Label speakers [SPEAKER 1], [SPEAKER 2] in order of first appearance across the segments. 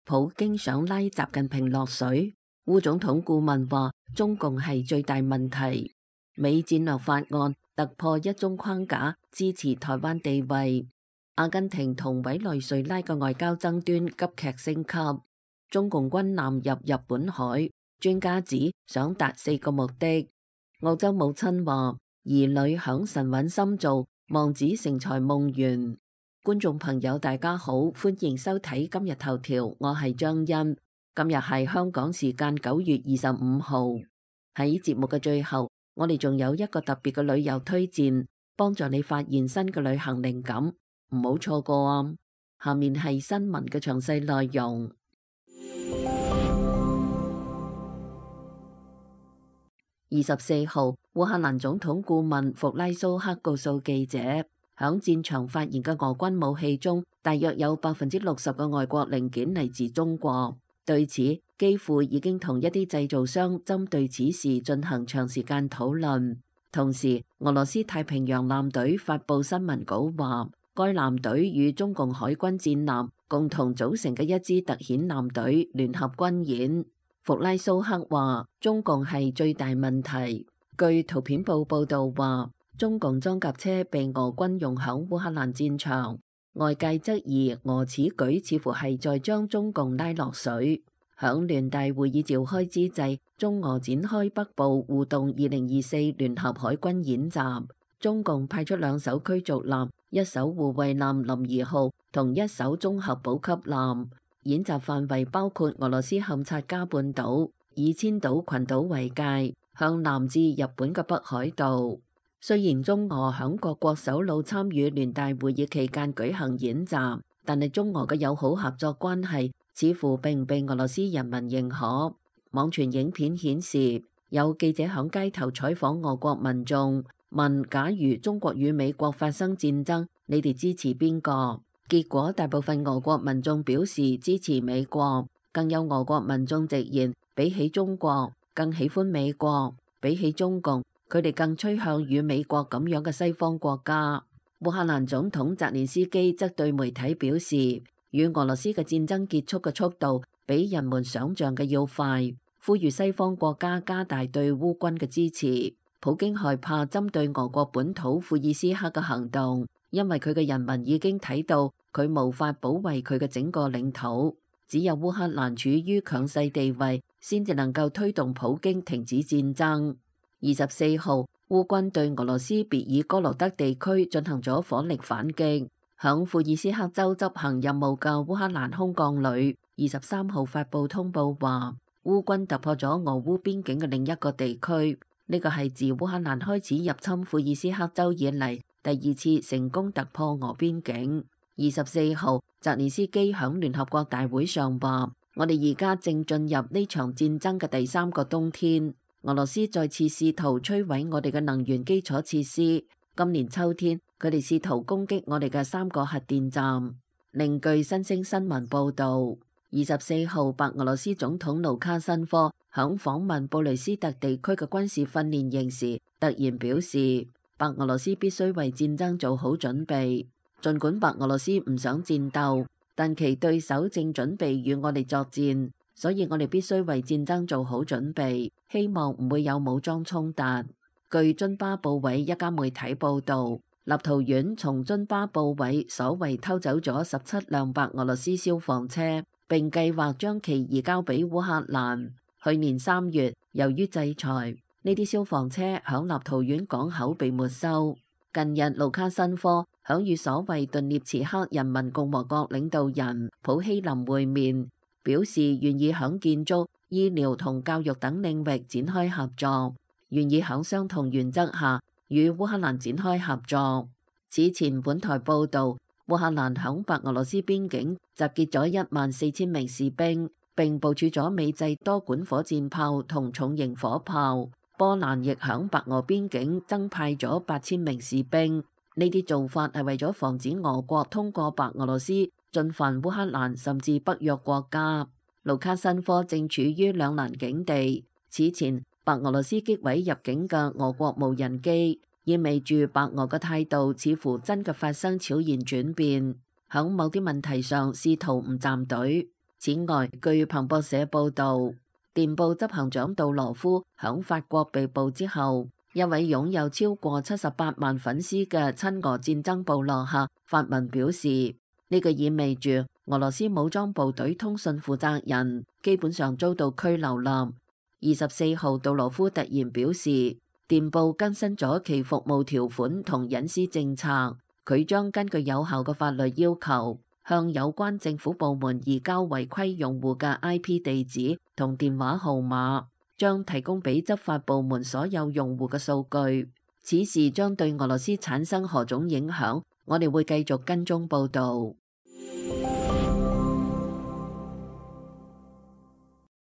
[SPEAKER 1] 普京想拉習近平落水。烏總統顧問話中共係最大問題。美戰略法案突破一中框架，支持台灣地位。阿根廷同委內瑞拉嘅外交爭端急劇升級。中共軍艦入日本海，專家指想達4個目的。澳洲母親話兒女響神韻深造，望子成才夢圓。觀眾朋友大家好，歡迎收睇今日頭條，我係張欣。今日係香港時間9月25號。喺節目嘅最後，我哋仲有一個特別嘅旅遊推薦，幫助你發現新嘅旅行靈感，唔好錯過啊！下面係新聞嘅詳細內容。24號，烏克蘭總統顧問弗拉蘇克告訴記者，響戰場發現嘅俄軍武器中，大約有60%嘅外國零件嚟自中國。對此，基輔已經同一啲製造商針對此事進行長時間討論。同時，俄羅斯太平洋艦隊發布新聞稿話，該艦隊與中共海軍戰艦共同組成嘅一支特遣艦隊聯合軍演。弗拉蘇克話，中共係最大問題。據圖片報報道話，中共裝甲車被俄軍用響烏克蘭戰場。外界質疑俄此舉似乎係在將中共拉落水。響聯大會議召開之際，中俄展開北部互動2024聯合海軍演習。中共派出2艘驅逐艦、1艘護衛艦林2號同1艘綜合補給艦。演習範圍包括俄羅斯堪察加半島，以千島群島為界，向南至日本嘅北海道。雖然中俄響各國首腦參與聯大會議期間舉行演習，但係中俄嘅友好合作關係似乎並唔被俄羅斯人民認可。網傳影片顯示，有記者響街頭採訪俄國民眾，問假如中國與美國發生戰爭，你哋支持邊個？結果大部分俄國民眾表示支持美國，更有俄國民眾直言，比起中國更喜歡美國，比起中共，佢哋更趨向與美國咁樣嘅西方國家。烏克蘭總統澤連斯基則對媒體表示，與俄羅斯嘅戰爭結束嘅速度比人們想象嘅要快，呼籲西方國家加大對烏軍嘅支持。普京害怕針對俄國本土庫爾斯克嘅行動，因為佢嘅人民已經睇到佢無法保衛佢嘅整個領土，只有烏克蘭處於強勢地位，先至能夠推動普京停止戰爭。24號，烏軍對俄羅斯別爾哥羅德地區進行咗火力反擊。響庫爾斯克州執行任務嘅烏克蘭空降旅23號發布通報話，烏軍突破咗俄烏邊境嘅另一個地區，呢個係自烏克蘭開始入侵庫爾斯克州以嚟第2次成功突破俄邊境。24號，澤連斯基響聯合國大會上話，我哋而家正進入呢場戰爭嘅第3個冬天。俄羅斯再次試圖摧毀我哋嘅能源基礎設施。今年秋天，佢哋試圖攻擊我哋嘅3個核電站。另據新星新聞報導，24號，白俄羅斯總統盧卡申科響訪問布雷斯特地區嘅軍事訓練營時，突然表示，白俄羅斯必須為戰爭做好準備。儘管白俄羅斯唔想戰鬥，但其對手正準備與我哋作戰。所以我哋必須為戰爭做好準備，希望唔會有武裝衝突。據津巴布韋一家媒體報導，立陶宛從津巴布韋所謂偷走咗17輛白俄羅斯消防車，並計劃將其移交俾烏克蘭。去年3月，由於制裁，呢啲消防車響立陶宛港口被沒收。近日，盧卡申科響與所謂頓涅茨克人民共和國領導人普希林會面，表示願意響建築、醫療同教育等領域展開合作，願意響相同原則下與烏克蘭展開合作。此前本台報導，烏克蘭響白俄羅斯邊境集結咗14000名士兵，並部署咗美製多管火箭炮同重型火炮。波蘭亦響白俄邊境增派咗8000名士兵。呢啲做法係為咗防止俄國通過白俄羅斯進犯烏克蘭甚至北約國家。盧卡申科正處於兩難境地。此前，白俄羅斯擊毀入境嘅俄國無人機，意味住白俄嘅態度似乎真嘅發生悄然轉變，響某啲問題上試圖唔站隊。此外，據彭博社報導，電報執行長杜羅夫響法國被捕之後，一位擁有超過78萬粉絲嘅親俄戰爭部落客發文表示，呢個意味住俄羅斯武裝部隊通訊負責人基本上遭到拘留啦。24號，杜羅夫突然表示，電報更新咗其服務條款同隱私政策，佢將根據有效嘅法律要求，向有關政府部門移交違規用戶嘅 IP 地址同電話號碼，將提供俾執法部門所有用戶嘅數據。此事將對俄羅斯產生何種影響？我哋會繼續跟蹤報導。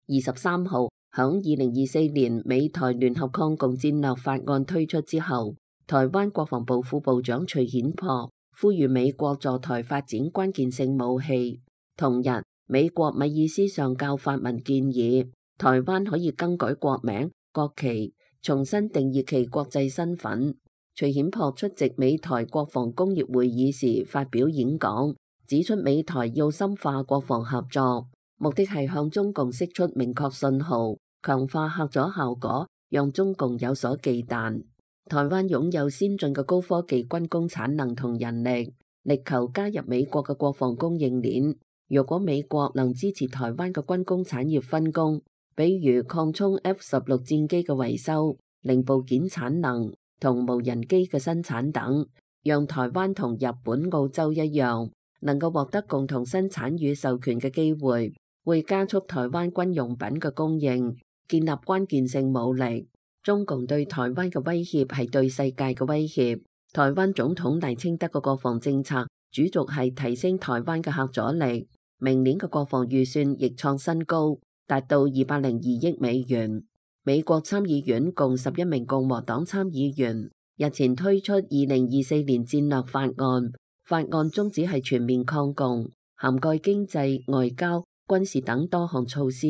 [SPEAKER 1] 23號，響2024年美台聯合抗共戰略法案推出之後，台灣國防部副部長徐顯樸呼籲美國助台發展關鍵性武器。同日，美國米爾斯上校發文建議，台灣可以更改國名、國旗，重新定義其國際身份。徐顯樸出席美台國防工業會議時發表演講，指出美台要深化國防合作，目的係向中共釋出明確信號，強化嚇阻效果，讓中共有所忌憚。台灣擁有先進嘅高科技軍工產能同人力，力求加入美國嘅國防供應鏈。若果美國能支持台灣嘅軍工產業分工，比如擴充 F-16戰機嘅維修、零部件產能同無人機嘅生產等，讓台灣同日本、澳洲一樣，能夠獲得共同生產與授權嘅機會，會加速台灣軍用品嘅供應，建立關鍵性武力。中共對台灣嘅威脅係對世界嘅威脅。台灣總統賴清德嘅國防政策主軸係提升台灣嘅嚇阻力。明年嘅國防預算亦創新高，達到202億美元。美國參議院共11名共和黨參議員日前推出2024年戰略法案，法案宗旨係全面抗共，涵蓋經濟、外交、軍事等多項措施，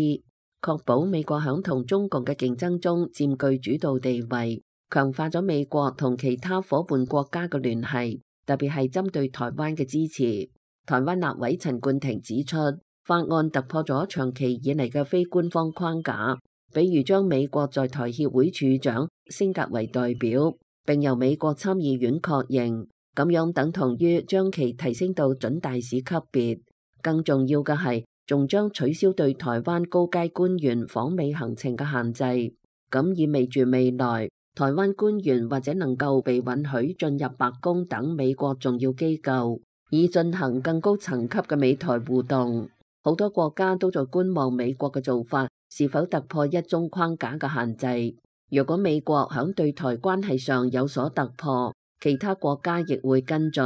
[SPEAKER 1] 確保美國響同中共嘅競爭中佔據主導地位，強化咗美國同其他夥伴國家嘅聯繫，特別係針對台灣嘅支持。台灣立委陳冠廷指出，法案突破咗長期以嚟嘅非官方框架，比如將美國在台協會處長升格為代表，並由美國參議院確認，咁樣等同於將其提升到準大使級別。更重要嘅係，仲將取消對台灣高階官員訪美行程嘅限制，咁意味住未來台灣官員或者能夠被允許進入白宮等美國重要機構，以進行更高層級嘅美台互動。好多國家都在觀望美國嘅做法是否突破一中框架嘅限制。如果美國響對台關係上有所突破，其他國家亦會跟進。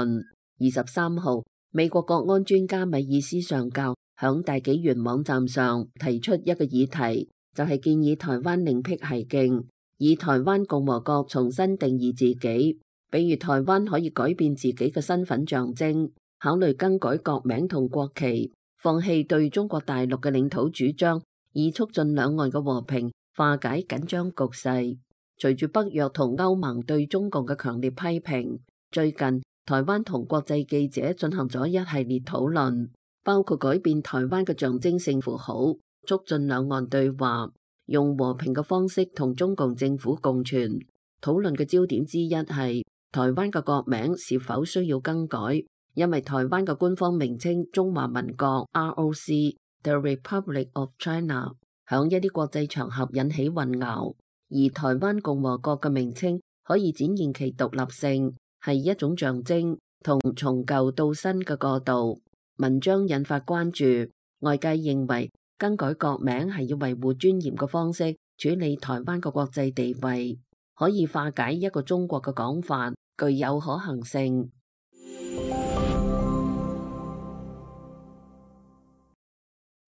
[SPEAKER 1] 23號，美國國安專家米爾斯上校響大紀元網站上提出一個議題，就係建議台灣另闢蹊徑，以台灣共和國重新定義自己，比如台灣可以改變自己嘅身份象徵，考慮更改國名同國旗，放棄對中國大陸嘅領土主張，以促進兩岸嘅和平，化解緊張局勢。隨住北約同歐盟對中共嘅強烈批評，最近台灣同國際記者進行咗一系列討論，包括改變台灣嘅象徵性符號，促進兩岸對話，用和平嘅方式同中共政府共存。討論嘅焦點之一係台灣嘅國名是否需要更改，因為台灣嘅官方名稱中華民國 ROC，The Republic of China， 響一啲國際場合引起混淆，而台灣共和國嘅名稱可以展現其獨立性，係一種象徵同從舊到新嘅過渡。文章引發關注，外界認為更改國名係要維護尊嚴嘅方式處理台灣嘅國際地位，可以化解一個中國嘅講法，具有可行性。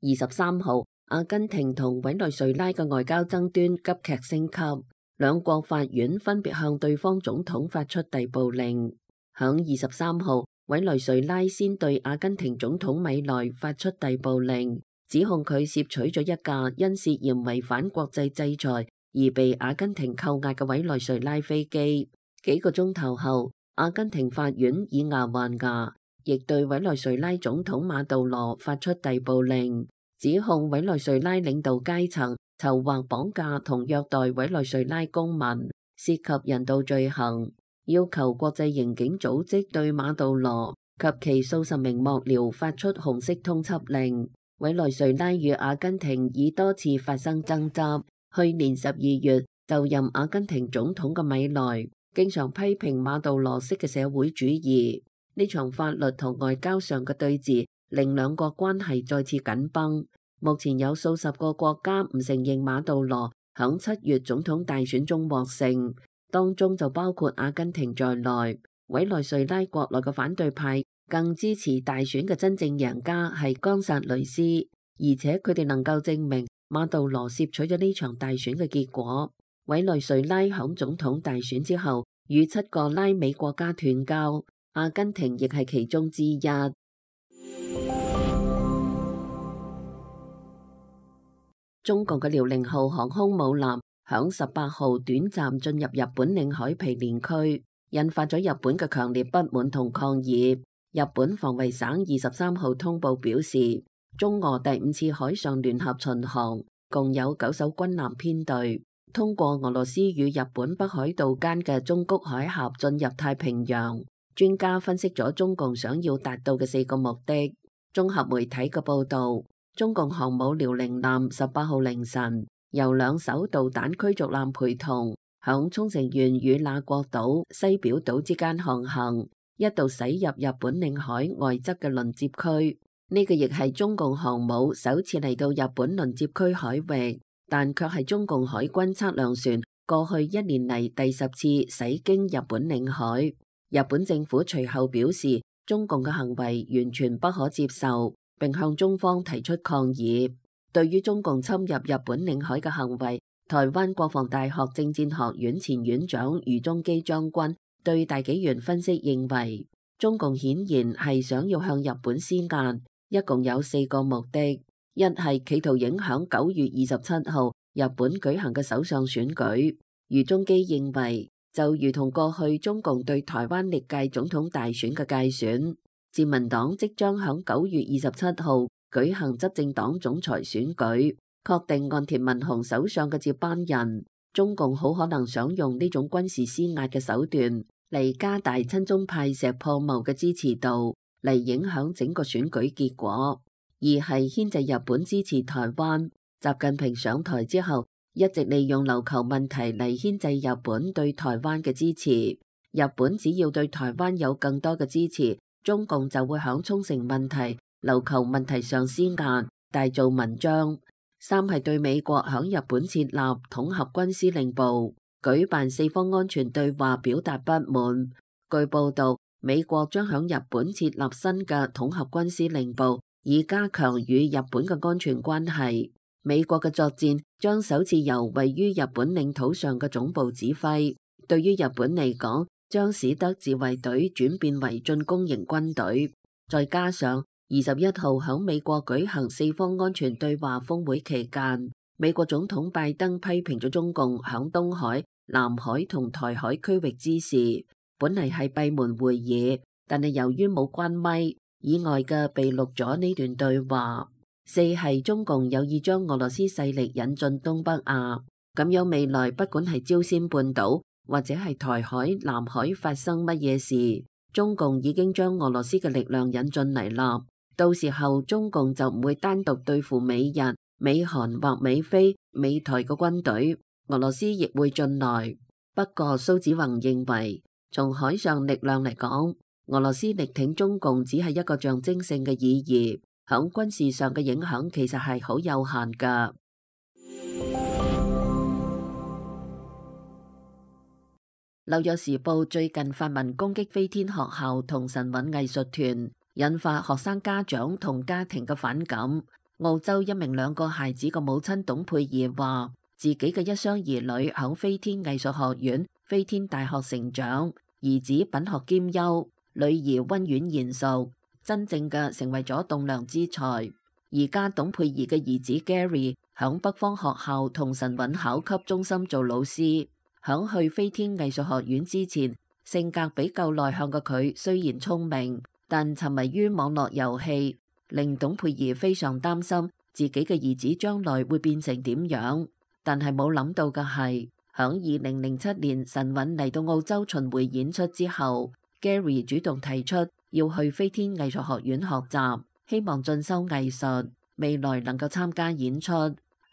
[SPEAKER 1] 23號，阿根廷同委內瑞拉嘅外交爭端急劇升級，兩國法院分別向對方總統發出逮捕令。響23號，委內瑞拉先對阿根廷總統米內發出逮捕令，指控佢竊取咗一架因涉嫌違反國際制裁而被阿根廷扣押嘅委內瑞拉飛機。幾個鐘頭後，阿根廷法院以牙還牙，亦對委內瑞拉總統馬杜羅發出逮捕令，指控委內瑞拉領導階層籌劃綁架同虐待委內瑞拉公民，涉及人道罪行，要求國際刑警組織對馬杜羅及其數十名幕僚發出紅色通緝令。委內瑞拉與阿根廷已多次發生爭執。去年12月就任阿根廷總統嘅米萊經常批評馬杜羅式嘅社會主義。呢場法律同外交上嘅對峙令兩國關係再次緊繃。目前有數十個國家唔承認馬杜羅響7月總統大選中獲勝，當中就包括阿根廷在內。委內瑞拉國內嘅反對派更支持大選嘅真正贏家係岡薩雷斯，而且佢哋能夠證明馬杜羅竊取咗呢場大選嘅結果。委內瑞拉響總統大選之後與7個拉美國家斷交，阿根廷亦係其中之一。中共嘅遼寧號航空母艦響18號短暫進入日本領海毗連區，引發咗日本嘅強烈不滿同抗議。日本防衛省23號通報表示，中俄第5次海上聯合巡航共有9艘軍艦編隊，通過俄羅斯與日本北海道間嘅中谷海峽進入太平洋。專家分析咗中共想要達到嘅4個目的。綜合媒體嘅報道，中共航母遼寧艦18號凌晨由2艘導彈驅逐艦陪同，響沖繩縣與那國島、西表島之間航行，一度駛入日本領海外側嘅鄰接區。呢個亦係中共航母首次嚟到日本鄰接區海域，但卻係中共海軍測量船過去1年嚟第10次駛經日本領海。日本政府隨後表示，中共嘅行為完全不可接受，並向中方提出抗議。對於中共侵入日本領海嘅行為，台灣國防大學政戰學院前院長余宗基將軍對大紀元分析認為，中共顯然係想要向日本施壓，一共有4個目的。一係企圖影響9月27號日本舉行嘅首相選舉。余宗基認為，就如同過去中共對台灣歷屆總統大選嘅介選，自民黨即將響9月27號舉行執政黨總裁選舉，確定岸田文雄首相嘅接班人。中共好可能想用呢種軍事施壓嘅手段嚟加大親中派石破茂嘅支持度，嚟影響整個選舉結果。二係牽制日本支持台灣。習近平上台之後，一直利用琉球問題嚟牽制日本對台灣嘅支持。日本只要對台灣有更多嘅支持，中共就會響沖繩問題、琉球問題上施壓，大做文章。三係對美國響日本設立統合軍司令部，舉辦4方安全對話表達不滿。據報道，美國將響日本設立新嘅統合軍司令部，以加強與日本嘅安全關係。美國嘅作戰將首次由位於日本領土上嘅總部指揮，對於日本嚟講，將使得自衛隊轉變為進攻型軍隊。再加上21號響美國舉行4方安全對話峰會期間，美國總統拜登批評咗中共響東海、南海同台海區域之事，本嚟係閉門會議，但係由於冇關咪，以外嘅被錄咗呢段對話。四係中共有意將俄羅斯勢力引進東北亞，咁樣未來不管係朝鮮半島或者係台海、南海發生乜嘢事，中共已經將俄羅斯嘅力量引進嚟啦。到時候中共就唔會單獨對付美日、美韓或美菲、美台嘅軍隊，俄羅斯亦會進來。不過蘇紫宏認為，從海上力量嚟講，俄羅斯力挺中共只係一個象徵性嘅意義。響軍事上嘅影響其實係好有限㗎。紐約時報最近發文攻擊飛天學校同神韻藝術團，引發學生家長同家庭嘅反感。澳洲一名2個孩子嘅母親董佩儀話，自己嘅一雙兒女響飛天藝術學院、飛天大學成長，兒子品學兼優，女兒溫婉賢淑。真正嘅成為咗棟樑之才。而家董佩儀嘅兒子 Gary 響北方學校同神韻考級中心做老師。響去飛天藝術學院之前，性格比較內向嘅佢雖然聰明，但沉迷於網絡遊戲，令董佩儀非常擔心自己嘅兒子將來會變成點樣，但係冇諗到嘅係，響2007年神韻嚟到澳洲巡迴演出之後， Gary 主動提出要去飛天藝術學院學習，希望進修藝術，未來能夠參加演出。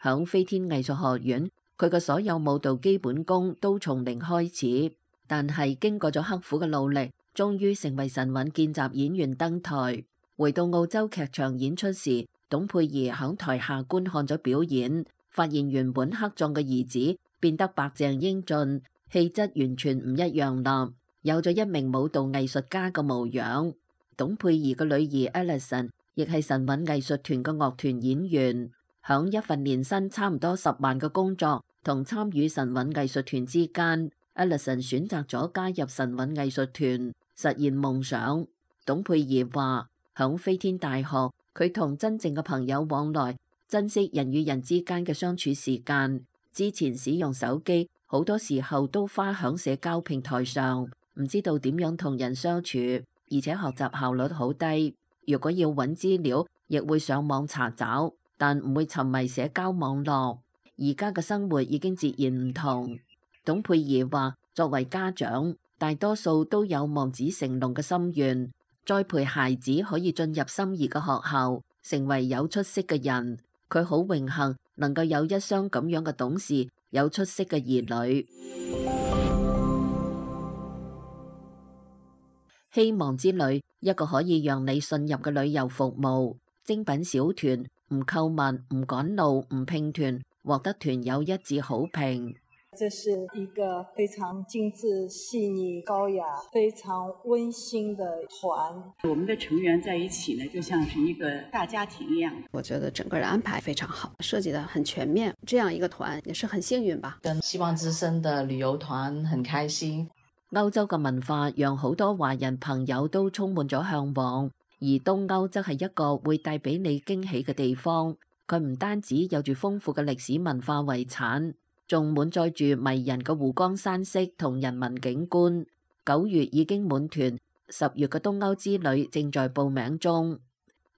[SPEAKER 1] 響飛天藝術學院，佢嘅所有舞蹈基本功都從零開始，但係經過咗刻苦嘅努力，終於成為神韻見習演員登台。回到澳洲劇場演出時，董佩儀響台下觀看咗表演，發現原本黑壯嘅兒子變得白淨英俊，氣質完全唔一樣啦，有咗一名舞蹈藝術家嘅模樣。董佩儀嘅女兒 Alison 亦係神韻藝術團嘅樂團演員，響一份年薪差唔多10萬嘅工作同參與神韻藝術團之間， Alison 選擇咗加入神韻藝術團，實現夢想。董佩儀話，響飛天大學，佢同真正嘅朋友往來，珍惜人與人之間嘅相處時間。之前使用手機，好多時候都花響社交平台上，唔知道點樣同人相處，而且學習效率好低。如果要揾資料，亦會上網查找，但唔會沉迷社交網絡。而家嘅生活已經截然唔同。董佩儀話，作為家長，大多數都有望子成龍嘅心願，栽培孩子可以進入心儀嘅學校，成為有出息嘅人。佢好榮幸能夠有一雙咁樣嘅董事，有出色嘅兒女。希望之旅，一個可以讓你信任嘅旅遊服務。精品小團，唔購物，唔趕路，唔拼團，獲得團友一致好評。
[SPEAKER 2] 這是一個非常精緻、細膩、高雅、非常溫馨的團。
[SPEAKER 3] 我們的成員在一起呢，就像是一個大家庭一樣。
[SPEAKER 4] 我覺得整個的安排非常好，設計得很全面。這樣一個團也是很幸運吧。
[SPEAKER 5] 跟希望之聲的旅遊團很開心。
[SPEAKER 1] 歐洲嘅文化讓好多華人朋友都充滿咗向往，而東歐則係一個會帶俾你驚喜嘅地方。佢唔單止有住豐富嘅歷史文化遺產，仲滿載住迷人嘅湖光山色同人文景觀。9月已經滿團，10月嘅東歐之旅正在報名中。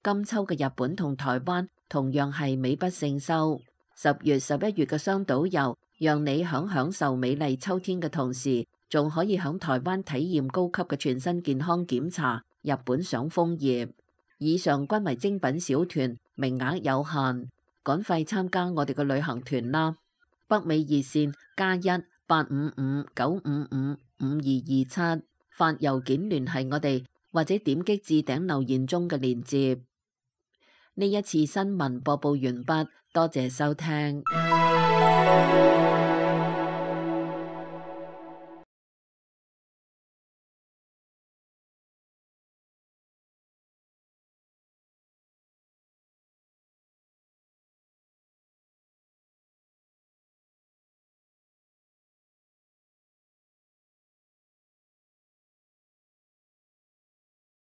[SPEAKER 1] 今秋嘅日本同台灣同樣係美不勝收。10月、11月嘅雙島遊，讓你享受美麗秋天嘅同時，仲可以響台灣體驗高級嘅全身健康檢查，日本賞楓葉。以上均為精品小團，名額有限，趕快參加我哋嘅旅行團啦！北美熱線+1-855-955-5227，發郵件聯繫我哋，或者點擊置頂留言中嘅鏈接。呢一次新聞播報完畢，多謝收聽。